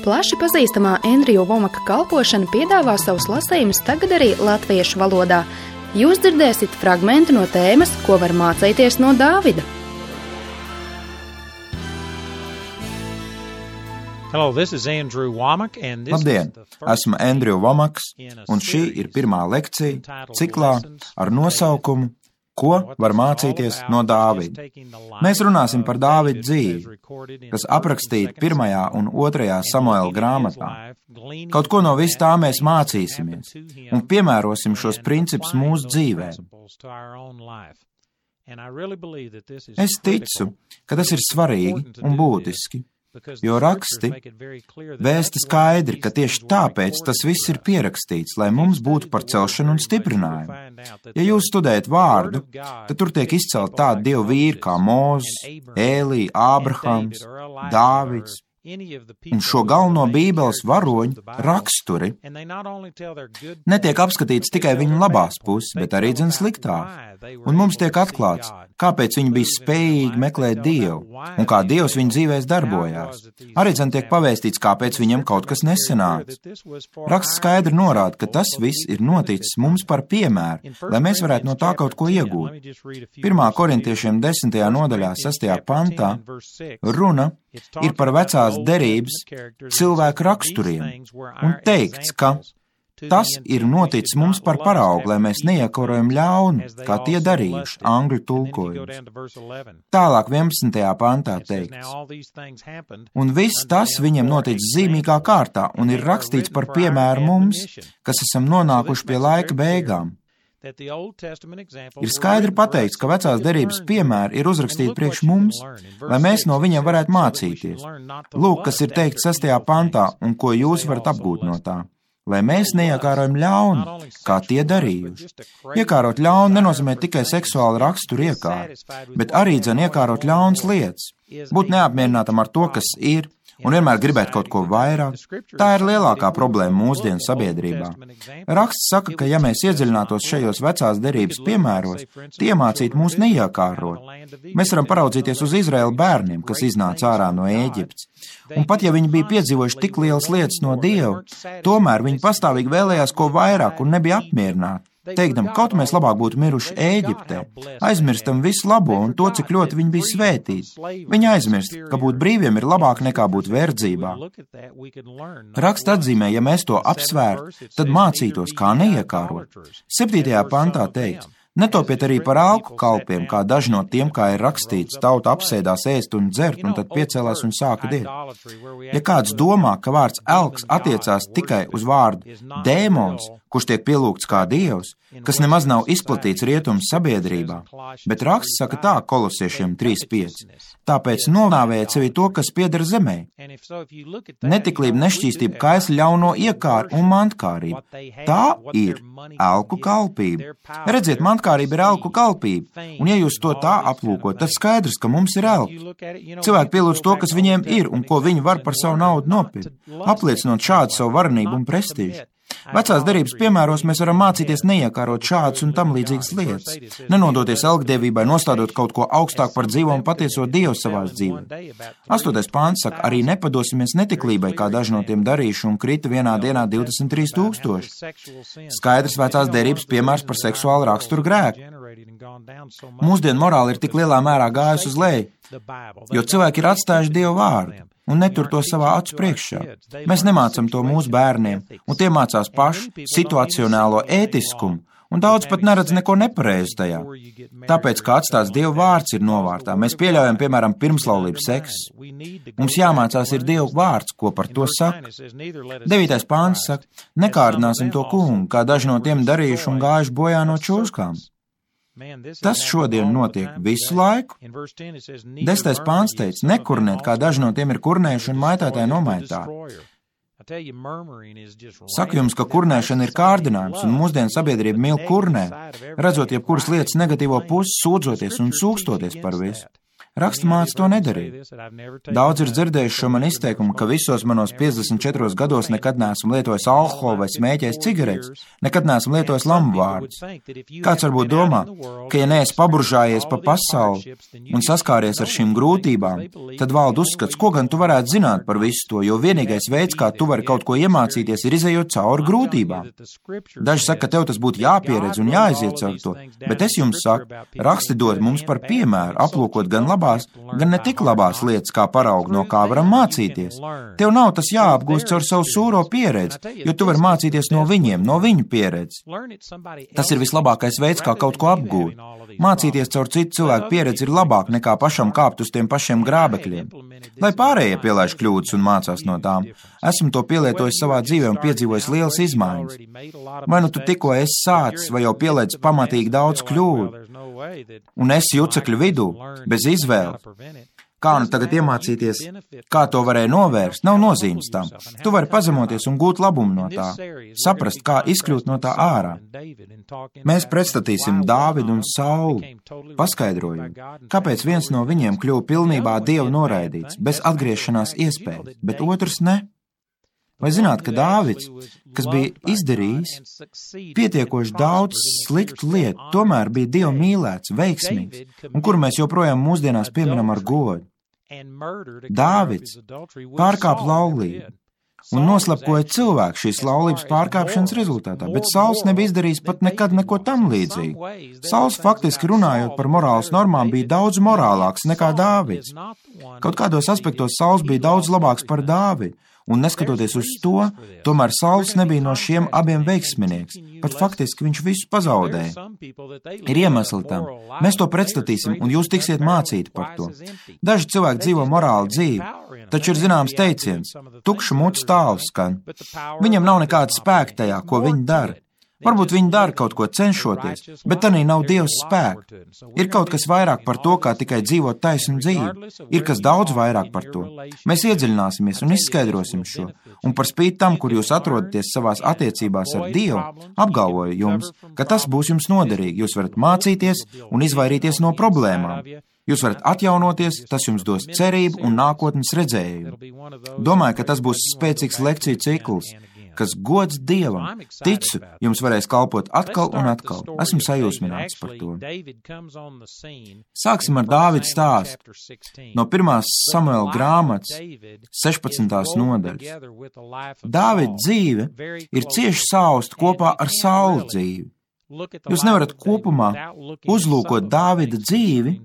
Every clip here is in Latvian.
Plaši pazīstamā Andrew Womaka kalpošana piedāvā savus lasījumus tagad arī latviešu valodā. Jūs dzirdēsiet fragmentu no tēmas, ko var mācīties no Dāvida. Hello, this is Andrew Womack, and this Labdien, esmu Andrew Womaks, un šī ir pirmā lekcija ciklā ar nosaukumu Ko var mācīties no Dāvida. Mēs runāsim par Dāvida dzīvi, kas aprakstīta 1. un 2. Samuela grāmatā. Kaut ko no vis tā mēs mācīsimies un piemērosim šos principus mūsu dzīvēm. Es ticu, ka tas ir svarīgi un būtiski, jo raksti vēsta skaidri, ka tieši tāpēc tas viss ir pierakstīts, lai mums būtu par celšanu un stiprinājumu. Ja jūs studējat vārdu, tad tur tiek izcelt tādi dievu vīri kā Mūzes, Ēlija, Ābrahams, Dāvids un šo galveno Bībeles varoņu raksturi. Netiek apskatīts tikai viņu labās puses, bet arī dzen sliktā. Un mums tiek atklāts, kāpēc viņi bija spējīgi meklēt Dievu un kā Dievs viņu dzīvēs darbojās. Arī dzen tiek pavēstīts, kāpēc viņam kaut kas nesanāca. Raksts skaidri norāda, ka tas viss ir noticis mums par piemēru, lai mēs varētu no tā kaut ko iegūt. 1. Korintiešiem 10. nodaļā 6. pantā runa ir par vecās derības cilvēku raksturiem un teikts, ka tas ir noticis mums par paraugu, lai mēs neiekarojam ļaunu, kā tie darījuši, angļu tulkojums. Tālāk 11. pantā teikts, un viss tas viņiem noticis zīmīgā kārtā un ir rakstīts par piemēru mums, kas esam nonākuši pie laika beigām. Ir skaidri pateikts, ka vecās derības piemēri ir uzrakstīti priekš mums, lai mēs no viņiem varētu mācīties. Lūk, kas ir teikts 6. pantā un ko jūs varat apgūt no tā. Lai mēs neiekārojam ļaunu, kā tie darījuši. Iekārot ļaunu nenozīmē tikai seksuālu raksturu iekāru, bet arī dzen iekārot ļaunas lietas, būt neapmierinātam ar to, kas ir, un vienmēr gribēt kaut ko vairāk. Tā ir lielākā problēma mūsdienu sabiedrībā. Raksts saka, ka ja mēs iedziļinātos šajos vecās derības piemēros, tie mācītu mūs neiekārot. Mēs varam paraudzīties uz Izraēla bērniem, kas iznāca ārā no Ēģiptes. Un pat ja viņi bija piedzīvojuši tik lielas lietas no Dieva, tomēr viņi pastāvīgi vēlējās ko vairāk un nebija apmierināti. Teikdam, kaut mēs labāk būtu miruši Ēģiptē, aizmirstam visu labo un to, cik ļoti viņi bija svētīti. Viņi aizmirst, ka būt brīviem ir labāk nekā būt verdzībā. Raksts atzīmē, ja mēs to apsvērtu, tad mācītos, kā neiekārot. 7. pantā teikts, netopiet arī par alku kalpiem, kā daži no tiem, kā ir rakstīts, tauta apsēdās ēst un dzert, un tad piecēlās un sāka diet. Ja kāds domā, ka vārds elks attiecās tikai uz vārdu dēmons, kurš tiek pielūgts kā dievs, kas nemaz nav izplatīts rietumu sabiedrībā, bet raksts saka tā Kolosiešiem 3.5. Tāpēc nonāvējiet sevi to, kas pieder zemē. Netiklība, nešķīstība, kaisli, ļauno iekāru un mantkārība. Tā ir elku kalpība. Redziet, mantkārība ir elku kalpība, un ja jūs to tā aplūkot, tad skaidrs, ka mums ir elki. Cilvēki pielūdz to, kas viņiem ir un ko viņi var par savu naudu nopirkt, apliecinot šādu savu varenību un prestīžu. Vecās derības piemēros mēs varam mācīties neiekārot šādas un tam līdzīgas lietas, nenodoties elgdievībai, nostādot kaut ko augstāk par dzīvo un patieso Dievu savās dzīvē. 8. pāns saka, arī nepadosimies netiklībai, kā daži no tiem darījuši un krita vienā dienā 23 000. Skaidrs vecās derības piemērs par seksuālu raksturu grēku. Mūsdienu morāli ir tik lielā mērā gājusi uz leju, jo cilvēki ir atstājuši Dievu vārdu un netur to savā acu priekšā. Mēs nemācam to mūsu bērniem, un tie mācās paši situacionālo ētiskumu, un daudz pat neredz neko nepareizu tajā. Tāpēc, kā atstāts Dieva vārds ir novārtā, mēs pieļaujam, piemēram, pirmslaulības seksu. Mums jāmācās ir Dieva vārds, ko par to saka. 9. pāns saka, nekārdināsim to kungu, kā daži no tiem darījuši un gājuši bojā no čūskām. Tas šodien notiek visu laiku. 10. pāns teica, nekurnēt, kā daži no tiem ir kurnējuši un maitētāji nomaitāti. Saku jums, ka kurnēšana ir kārdinājums, un mūsdienu sabiedrība mīl kurnēt, redzot jebkuras lietas negatīvo pusi, sūdzoties un sūkstoties par visu. Raksta māca to nedarīt. Daudz ir dzirdējuši šo man izteikumu, ka visos manos 54 gados nekad neesmu lietojis alkoholu vai smēķējis cigaretes, nekad neesmu lietojis lambu vārdus. Kāds varbūt domā, ka ja neesi paburžājies pa pasauli un saskāries ar šīm grūtībām, tad valda uzskats, ko gan tu varētu zināt par visu to, jo vienīgais veids, kā tu vari kaut ko iemācīties, ir izejot cauri grūtībām. Daži saka, ka tev tas būtu jāpieredz un jāiziet caur to, bet es jums saku, raksti dod mums par piemēru, aplūkot gan labās, gan ne tik labās lietas, kā paraugu, no kā varam mācīties. Tev nav tas jāapgūst caur savu sūro pieredzi, jo tu vari mācīties no viņiem, no viņu pieredzes. Tas ir vislabākais veids, kā kaut ko apgūt. Mācīties caur citu cilvēku pieredzi ir labāk nekā pašam kāpt uz tiem pašiem grābekļiem. Lai pārējie pielaiž kļūdas un mācās no tām. Esmu to pielietojis savā dzīvē un piedzīvojis lielas izmaiņas. Vai nu tu tikko esi sācis, vai jau pieliec pamatīgi daudz kļūdu, un esi jucekļu vidū, bez izvēles. Kā nu tagad iemācīties, kā to varēja novērst, nav nozīmes tam. Tu vari pazemoties un gūt labumu no tā, saprast, kā izkļūt no tā ārā. Mēs pretstatīsim Dāvidu un Saulu, paskaidrojot, kāpēc viens no viņiem kļuva pilnībā Dievu noraidīts, bez atgriešanās iespējas, bet otrs ne. Vai zināt, ka Dāvids, kas bija izdarījis pietiekoši daudz sliktu lietu, tomēr bija Dievu mīlēts, veiksmīgs, un kuru mēs joprojām mūsdienās pieminam ar godu? Dāvids pārkāpa laulību un noslapkoja cilvēku šīs laulības pārkāpšanas rezultātā, bet Sauls nebija izdarījis pat nekad neko tam līdzīgu. Sauls faktiski runājot par morāles normām bija daudz morālāks nekā Dāvids. Kaut kādos aspektos Sauls bija daudz labāks par Dāvidu. Un neskatoties uz to, tomēr Sauls nebija no šiem abiem veiksminieks, pat faktiski viņš visu pazaudēja. Ir iemesli tam. Mēs to pretstatīsim, un jūs tiksiet mācīti par to. Daži cilvēki dzīvo morālu dzīvi, taču ir zināms teiciens, tukša mutes tāls skan. Viņam nav nekāda spēka tajā, ko viņi dara. Varbūt viņi dara kaut ko cenšoties, bet tanī nav Dievs spēka. Ir kaut kas vairāk par to, kā tikai dzīvot taisnu dzīvi. Ir kas daudz vairāk par to. Mēs iedziļināsimies un izskaidrosim šo. Un par spīti tam, kur jūs atrodaties savās attiecībās ar Dievu, apgalvoju jums, ka tas būs jums noderīgi. Jūs varat mācīties un izvairīties no problēmām. Jūs varat atjaunoties, tas jums dos cerību un nākotnes redzējumu. Domāju, ka tas būs spēcīgs lekciju cikls, kas gods Dievam. Ticu, jums varēs kalpot atkal un atkal. Esmu sajūsmināts par to. Sāksim ar Dāvida stāstu. No 1. Samuela grāmatas 16. nodaļas. Dāvida dzīve ir cieši sausta kopā ar Saula dzīvi. Jūs nevarat kopumā uzlūkot Dāvida dzīvi,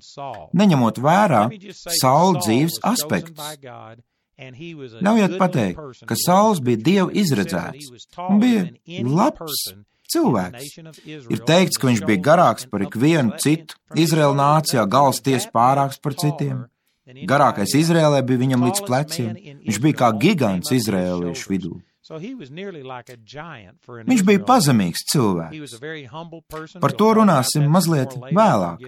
neņemot vērā Saula dzīves aspektus. Ļaujiet pateikt, ka Sauls bija Dievu izredzēts un bija labs cilvēks. Ir teikts, ka viņš bija garāks par ikvienu citu. Izraēla nācijā galvas tiesa pārāks par citiem. Garākais Izraēlē bija viņam līdz pleciem. Viņš bija kā gigants izraēliešu vidū. Viņš bija pazemīgs cilvēks. Par to runāsim mazliet vēlāk.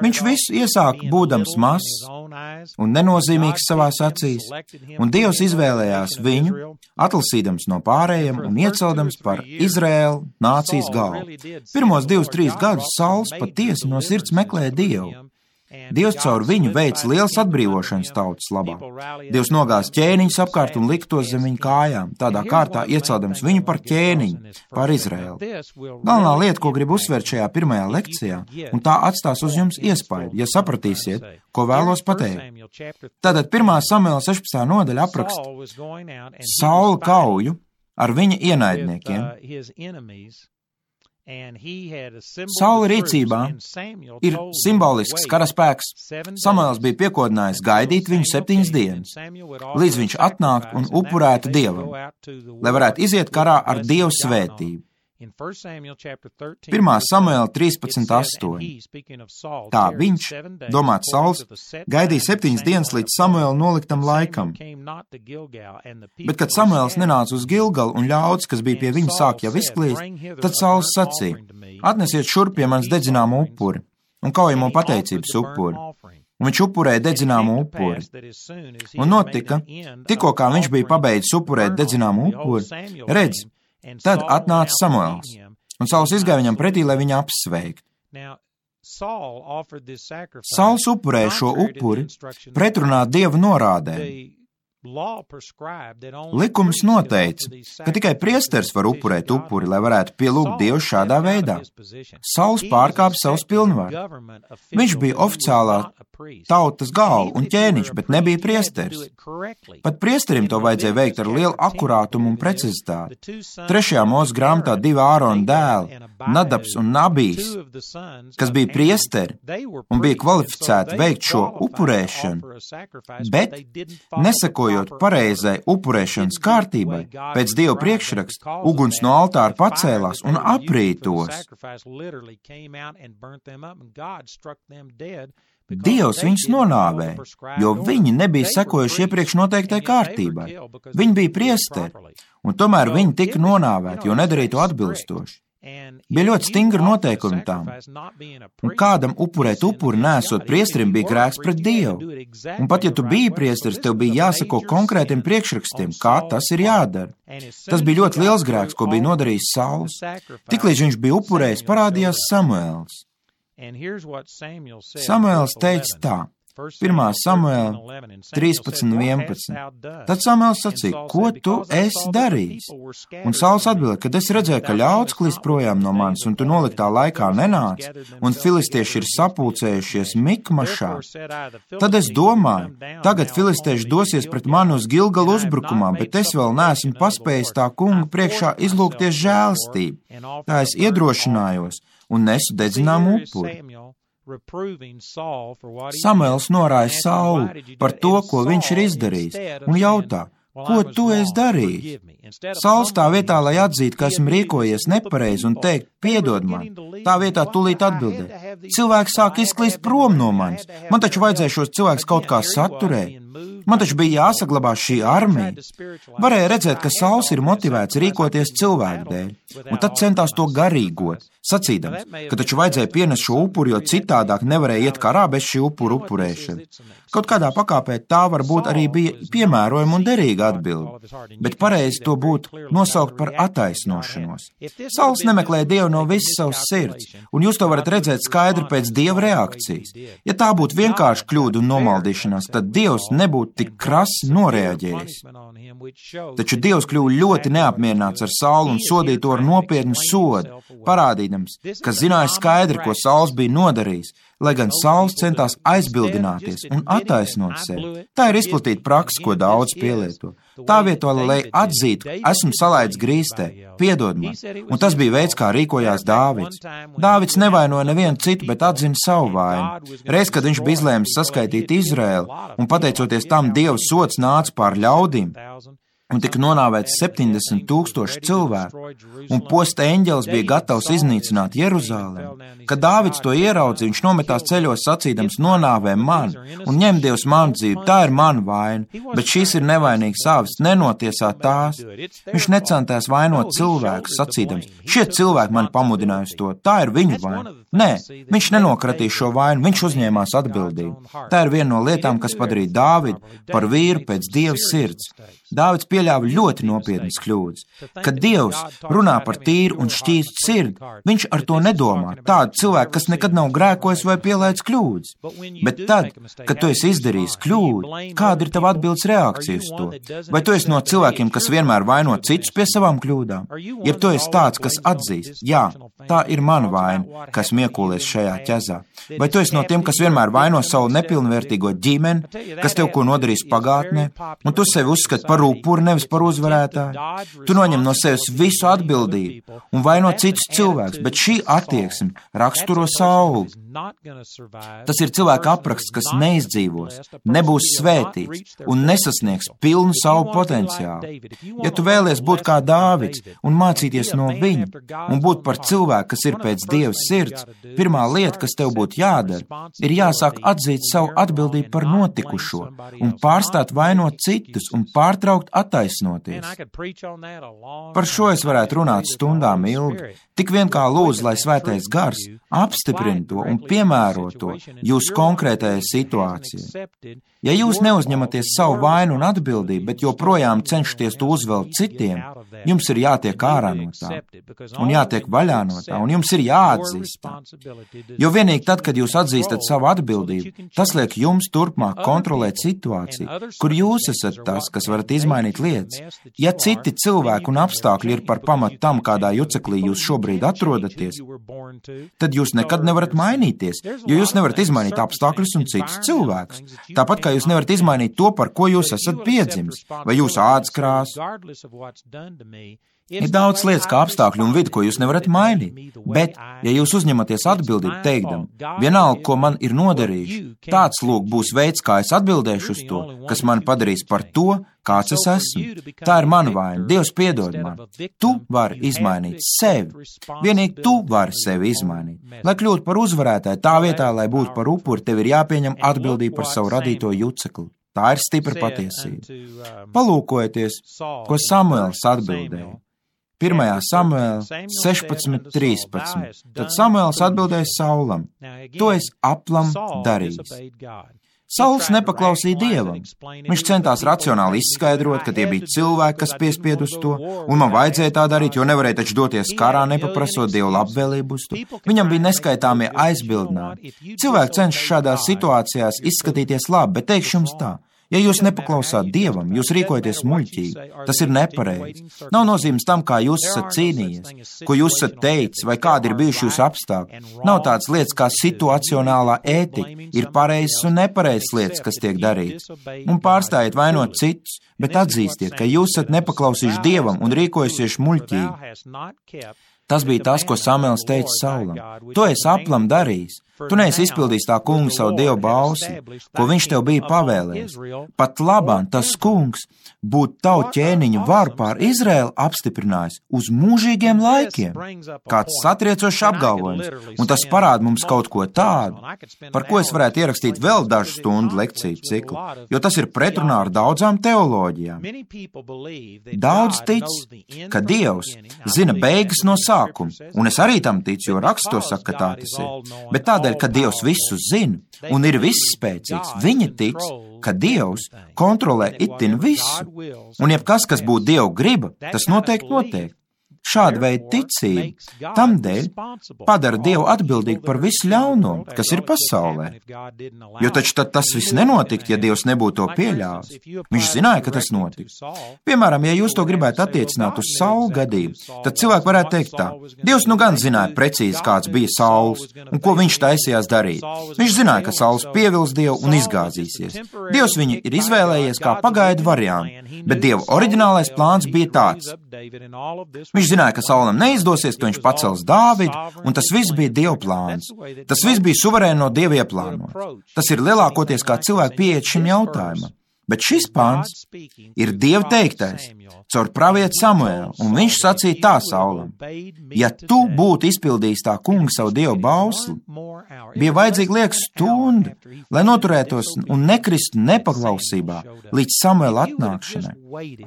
Viņš visu iesāka būdams mazs un nenozīmīgs savās acīs, un Dievs izvēlējās viņu, atlasīdams no pārējiem un ieceldams par Izraēlu nācijas galvu. Pirmos 2-3 gadus Sauls patiesi no sirds meklēja Dievu. Dievs caur viņu veica liels atbrīvošanas tautas labā. Dievs nogāza ķēniņus apkārt un lika tos zem viņu kājām, tādā kārtā ieceldams viņu par ķēniņu, par Izraēlu. Galvenā lieta, ko gribu uzsvērt šajā pirmajā lekcijā, un tā atstās uz jums iespaidu, ja sapratīsiet, ko vēlos pateikt. Tātad 1. Samuela 16. nodaļa apraksta Saula kauju ar viņa ienaidniekiem. Saula rīcībā ir simbolisks karaspēks. Samuels bija piekodinājis gaidīt viņu 7 dienas, līdz viņš atnāktu un upurētu Dievam, lai varētu iziet karā ar Dievu svētību. 1. Samuela 13:8. Tā viņš, domāts Sauls, gaidīja 7 dienas līdz Samuela noliktam laikam. Bet, kad Samuels nenāca uz Gilgalu un ļaudis, kas bija pie viņa, sāk jau izklīst, tad Sauls sacīja: atnesiet šurp pie manis dedzināmu upuri un kaujamo pateicības upuri. Un viņš upurēja dedzināmu upuri. Un notika, tikko kā viņš bija pabeidzis upurēt dedzināmu upuri, redz, tad atnāca Samuels, un Sauls izgāja viņam pretī, lai viņu apsveiktu. Sauls upurēja šo upuri pretrunā Dieva norādēm. Likums noteica, ka tikai priesteris var upurēt upuri, lai varētu pielūgt Dievu šādā veidā. Sauls pārkāpa savus pilnvaru. Viņš bija oficiālā tautas galva un ķēniņš, bet nebija priesteris. Pat priesterim to vajadzēja veikt ar lielu akurātumu un precizitāti. 3. Mūzes grāmatā 2 Ārona dēli, Nadabs un Nabijs, kas bija priesteri un bija kvalificēti veikt šo upurēšanu, bet nesakojot pareizai upurēšanas kārtībai, pēc Dieva priekšraksta uguns no altāra pacēlās un aprītos. Dievs viņus nonāvēja, jo viņi nebija sekojuši iepriekš noteiktai kārtībai. Viņi bija priesteri, un tomēr viņi tika nonāvēti, jo nedarīja to atbilstoši. Bija ļoti stingri noteikumi tām, un kādam upurēt upuri nesot priesterim bija grēks pret Dievu. Un pat ja tu biji priesteris, tev bija jāsako konkrētiem priekšrakstiem, kā tas ir jādara. Tas bija ļoti liels grēks, ko bija nodarījis Sauls. Tiklīdz viņš bija upurējis, parādījās Samuēls. Samuēls teica tā, 1. Samuēla 13:11. Tad Samuēls sacīja, ko tu esi darījis? Un Sauls atbildēja, kad es redzēju, ka ļauds klīst projām no manis, un tu noliktā laikā nenāc, un filistieši ir sapulcējušies Mikmašā. Tad es domāju, tagad filistieši dosies pret mani uz Gilgalu uzbrukumā, bet es vēl neesmu paspējis tā kunga priekšā izlūgties žēlastību. Tā es iedrošinājos un nesu dedzināmu upuri. Samuēls norāja Saulu par to, ko viņš ir izdarījis, un jautā, ko tu esi darījis? Sauls tā vietā, lai atzītu, ka esmu rīkojies nepareizi un teikt, piedod man, tā vietā tūlīt atbildēja. Cilvēks sāk izklīst prom no manis, man taču vajadzēja šos cilvēkus kaut kā saturēt. Man taču bija jāsaglabā šī armija. Varēja redzēt, ka Sauls ir motivēts rīkoties cilvēku dēļ, un tad centās to garīgot, sacīdams, ka taču vajadzēja pienest šo upuri, jo citādāk nevarēja iet karā bez šī upuru upurēšana. Kaut kādā pakāpē tā varbūt arī bija piemērojama un derīga atbilde, bet pareizi to būtu nosaukt par attaisnošanos. Sauls nemeklēja Dievu no visas savas sirds, un jūs to varat redzēt skaidri pēc Dieva reakcijas. Ja tā būtu vienkārši kļūda un nomaldīšanās, tad Dievs nebūtu tik krasi noreaģējis. Taču Dievs kļuva ļoti neapmierināts ar Saulu un sodīja to ar nopietnu sodu, parādīdams, ka zināja skaidri, ko Sauls bija nodarījis, lai gan Sauls centās aizbildināties un attaisnot sevi. Tā ir izplatīta praksa, ko daudz pielieto. Tā vietā, lai atzītu, esmu salaidis grīstē, piedod man, un tas bija veids, kā rīkojās Dāvids. Dāvids nevainoja nevienu citu, bet atzina savu vainu. Reiz, kad viņš bija izlēmis saskaitīt Izraēlu, un pateicoties tam Dieva sods nāca pār ļaudīm, un tika nonāvēts 70,000 cilvēku, un posta eņģelis bija gatavs iznīcināt Jeruzālemi. Kad Dāvids to ieraudzīja, viņš nometās ceļos sacīdams, nonāvē man, un ņem Dievs manu dzīvi, tā ir mana vaina, bet šīs ir nevainīgas avis, nenotiesā tās. Viņš necentās vainot cilvēkus, sacīdams, šie cilvēki mani pamudinājusi to, tā ir viņu vaina. Nē, viņš nenokratīja šo vainu, viņš uzņēmās atbildību. Tā ir viena no lietām, kas padarīja Dāvidu par vīru pēc Dieva sirds. Dāvids pieļāva ļoti nopietnas kļūdas. Kad Dievs runā par tīru un šķīstu sirdi, viņš ar to nedomā. Tādu cilvēku, kas nekad nav grēkojis vai pielaids kļūdas. Bet tad, kad tu esi izdarījis kļūdu, kāda ir tava atbildes reakcija uz to? Vai tu esi no cilvēkiem, kas vienmēr vaino citus pie savām kļūdām? Ja tu esi tāds, kas atzīst, jā, tā ir mana vaina, kas miekolies šajā ķezā. Vai tu esi no tiem, kas vienmēr vaino savu nepilnvērtīgo ģimeni, kas tev ko nodarīs pagātnē, un tu sevi uzskati par upuri, nevis par uzvarētāju? Tu noņem no sevis visu atbildību un vaino citus cilvēkus, bet šī attieksme raksturo Saulu. Tas ir cilvēka apraksts, kas neizdzīvos, nebūs svētīts un nesasniegs pilnu savu potenciālu. Ja tu vēlies būt kā Dāvids un mācīties no viņa un būt par cilvēku, kas ir pēc Dieva sirds, pirmā lieta, kas tev būtu jādara, ir jāsāk atzīt savu atbildību par notikušo un pārstāt vainot citus un pārtraukt attaisnoties. Par šo es varētu runāt stundām ilgi. Tik vien kā lūdzu, lai svētais gars apstiprina to un piemēro to jūsu konkrētajai situācijai. Ja jūs neuzņematies savu vainu un atbildību, bet joprojām cenšaties to uzvelt citiem, jums ir jātiek ārā no tā, un jātiek vaļā no tā, un jums ir jāatzīst tā. Jo vienīgi tad, kad jūs atzīstat savu atbildību, tas liek jums turpmāk kontrolēt situāciju, kur jūs esat tas, kas varat izmainīt lietas. Ja citi cilvēki un apstākļi ir par pamatu tam, kādā juceklī jūs šobrīd atrodaties, tad jūs nekad nevarat mainīties, jo jūs nevarat izmainīt apstākļus un citus cilvēkus. Tāpat kā jūs nevarat izmainīt to, par ko jūs esat piedzimis, vai jūsu ādas krāsu. Ir daudz lietas kā apstākļi un vidi, ko jūs nevarat mainīt, bet, ja jūs uzņematies atbildību teikdam, vienalga, ko man ir nodarījuši, tāds lūk būs veids, kā es atbildēšu uz to, kas man padarīs par to, kāds es esmu. Tā ir mana vaina, Dievs piedod man. Tu vari izmainīt sevi. Vienīgi tu vari sevi izmainīt. Lai kļūtu par uzvarētāju, tā vietā, lai būtu par upuri, tev ir jāpieņem atbildība par savu radīto jucekli. Tā ir stipra patiesība. Palūkojieties, ko Samuēls atbildēja. 1. Samuēla 16:13. Tad Samuēls atbildēja Saulam: To es aplam darījis. Sauls nepaklausīja Dievam. Viņš centās racionāli izskaidrot, ka tie bija cilvēki, kas piespied uz to, un man vajadzēja tā darīt, jo nevarēja taču doties karā, nepaprasot Dievu labvēlību uz to. Viņam bija neskaitāmie aizbildinājumi. Cilvēki cenšas šādās situācijās izskatīties labi, bet teikšu jums tā. Ja jūs nepaklausāt Dievam, jūs rīkojaties muļķīgi. Tas ir nepareizi. Nav nozīmes tam, kā jūs esat cīnījies, ko jūs esat teicis, vai kādi ir bijuši jūsu apstākļi. Nav tādas lietas kā situacionālā ētika. Ir pareizas un nepareizas lietas, kas tiek darītas. Un pārstājiet vainot citus, bet atzīstiet, ka jūs esat nepaklausījuši Dievam un rīkojusies muļķīgi. Tas bija tas, ko Samuēls teica Saulam. To es aplam darījis. Tu neesi izpildījis tā kunga savu Dievu bausli, ko viņš tev bija pavēlējis. Pat labāk tas kungs būtu tavu ķēniņu varu pār Izraēlu apstiprinājis uz mūžīgiem laikiem. Kāds satriecošs apgalvojums, un tas parāda mums kaut ko tādu, par ko es varētu ierakstīt vēl dažu stundu lekciju ciklu, jo tas ir pretrunā ar daudzām teoloģijām. Daudz tic, ka Dievs zina beigas no sākuma, un es arī tam ticu, jo raksts to saka, ka tā tas ir. Bet tādēļ, ka Dievs visu zina un ir visspēcīgs, viņi tic, ka Dievs kontrolē itin visu, un jebkas, kas būtu Dieva griba, tas noteikti notiek. Šāda veida ticība tamdēļ padara Dievu atbildīgu par visu ļauno, kas ir pasaulē. Jo taču tad tas viss nenotikt, ja Dievs nebūtu to pieļāvis. Viņš zināja, ka tas notiks. Piemēram, ja jūs to gribētu attiecināt uz Saulu gadību, tad cilvēki varētu teikt tā: Dievs nu gan zināja precīzi, kāds bija Sauls un ko viņš taisījās darīt. Viņš zināja, ka Sauls pievils Dievu un izgāzīsies. Dievs viņu ir izvēlējies kā pagaidu variantu, bet Dieva oriģinālais plāns bija tāds. Viņš zināja, ka Saulam neizdosies, ka viņš pacels Dāvidu, un tas viss bija Dieva plāns. Tas viss bija suverēni no Dieva ieplānots. Tas ir lielākoties, kā cilvēki pieiet šim jautājumam. Bet šis pāns ir Dieva teiktais caur pravieti Samuēlu, un viņš sacīja tā Saulam: Ja tu būtu izpildījis tā kunga savu Dievu bausli, bija vajadzīga lieka stunda, lai noturētos un nekristu nepaklausībā līdz Samuēla atnākšanai.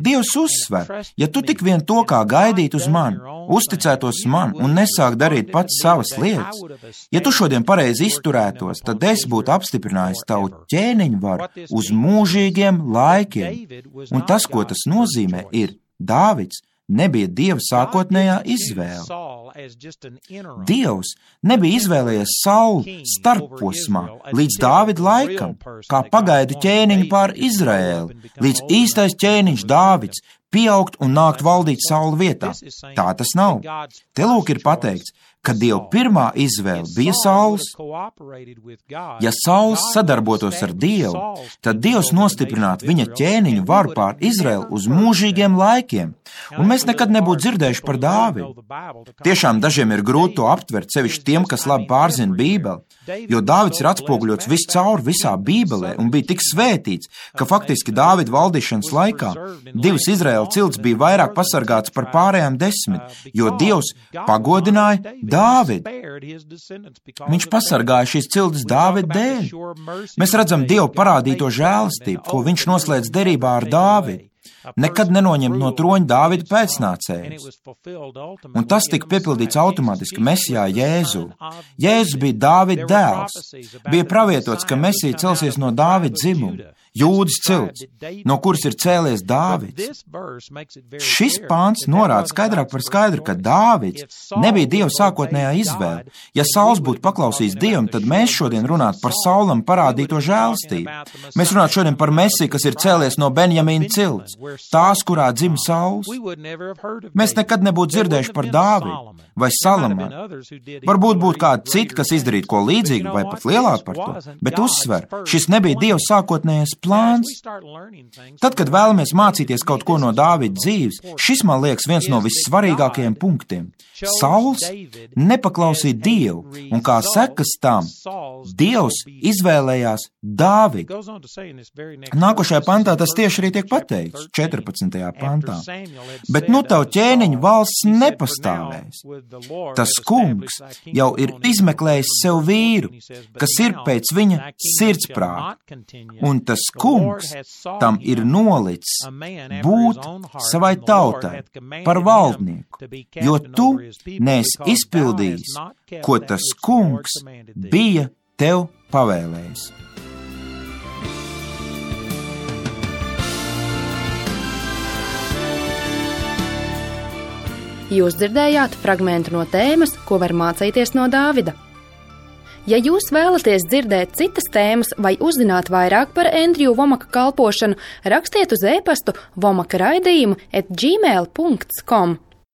Dievs uzsver: ja tu tik vien to kā gaidīt uz mani, uzticētos man un nesāk darīt pats savas lietas, ja tu šodien pareizi izturētos, tad es būtu apstiprinājis tavu ķēniņu varu uz mūžīgiem laikiem. Un tas, ko tas nozīmē, ir: Dāvids nebija Dieva sākotnējā izvēle. Dievs nebija izvēlējies Saulu starpposmā līdz Dāvida laikam, kā pagaidu ķēniņu pār Izraēlu, līdz īstais ķēniņš Dāvids pieaugt un nākt valdīt Saula vietā. Tā tas nav. Te lūk ir pateikts, ka Dieva pirmā izvēle bija Sauls. Ja Sauls sadarbotos ar Dievu, tad Dievs nostiprinātu viņa ķēniņu varu pār Izraēlu uz mūžīgiem laikiem, un mēs nekad nebūtu dzirdējuši par Dāvidu. Tiešām dažiem ir grūti to aptvert, sevišķi tiem, kas labi pārzina Bībeli, jo Dāvids ir atspoguļots viscaur visā Bībelē un bija tik svētīts, ka faktiski Dāvida valdīšanas laikā divas Izraēla cilts bija vairāk pasargāts par pārējām 10, jo Dievs pagodināja Dāvidu. Viņš pasargāja šīs ciltis Dāvida dēļ. Mēs redzam Dievu parādīto žēlastību, ko viņš noslēdz derībā ar Dāvidu. nekad nenoņemt no troņa Dāvida pēcnācējus. Un tas tika piepildīts automātiski Mesijā Jēzū. Jēzus bija Dāvida dēls. Bija pravietots, ka Mesija celsies no Dāvida dzimuma, Jūdas cilts, no kuras ir cēlies Dāvids. Šis pāns norāda skaidrāk par skaidru, ka Dāvids nebija Dieva sākotnējā izvēle. Ja Sauls būtu paklausījis Dievam, tad mēs šodien runātu par Saulam parādīto žēlastību. Mēs runātu šodien par Mesiju, kas ir cēlies no Benjamīna cilts, tās, kurā dzima Sauls. Mēs nekad nebūtu dzirdējuši par Dāvidu vai Salamanu. Varbūt būtu kādi citi, kas izdarītu ko līdzīgu vai pat lielāku par to, bet uzsver, šis nebija Dieva sākotnējais plāns. Tad, kad vēlamies mācīties kaut ko no Dāvida dzīves, šis man liekas viens no vissvarīgākajiem punktiem. Sauls nepaklausīja Dievu, un kā sekas tam, Dievs izvēlējās Dāvidu. Nākošajā pantā tas tieši arī tiek pateikts, 14. pantā. Bet nu tavu ķēniņu valsts nepastāvēs. Tas kungs jau ir izmeklējis sev vīru, kas ir pēc viņa sirdsprāta, un tas kungs tam ir nolicis būt savai tautai par valdnieku, jo tu neesi izpildījis, ko tas kungs bija tev pavēlējis. Jūs dzirdējāt fragmentu no tēmas, ko var mācīties no Dāvida. Ja jūs vēlaties dzirdēt citas tēmas vai uzzināt vairāk par Endriju Vomaka kalpošanu, rakstiet uz e-pastu vomaka raidījumu @gmail.com.